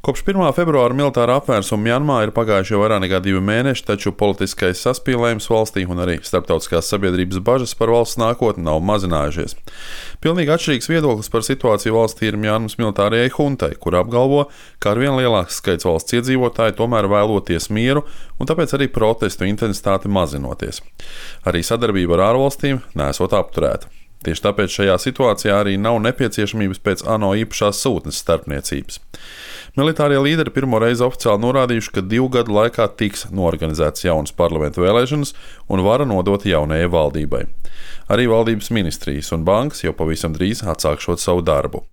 Kopš 1. februāra militāra apvērsuma Mjanmā ir pagājuši jau vairāk nekā 2 mēneši, taču politiskais saspīlējums valstī un arī starptautiskās sabiedrības bažas par valsts nākotni nav mazinājušies. Pilnīgi atšķirīgs viedoklis par situāciju valstī ir Mjanmas militārajai huntai, kur apgalvo, ka arvien lielāks skaits valsts iedzīvotāji tomēr vēloties mieru un tāpēc arī protestu intensitāte mazinoties. Arī sadarbība ar ārvalstīm nesot apturēta. Tieši tāpēc šajā situācijā arī nav nepieciešamības pēc ANO īpašās sūtnes starpniecības. Militārie līderi pirmo reizi oficiāli norādījuši, ka 2 gadu laikā tiks norganizētas jaunas parlamentu vēlēšanas un vara nodot jaunajai valdībai. Arī valdības ministrijas un bankas jau pavisam drīz atsākšot savu darbu.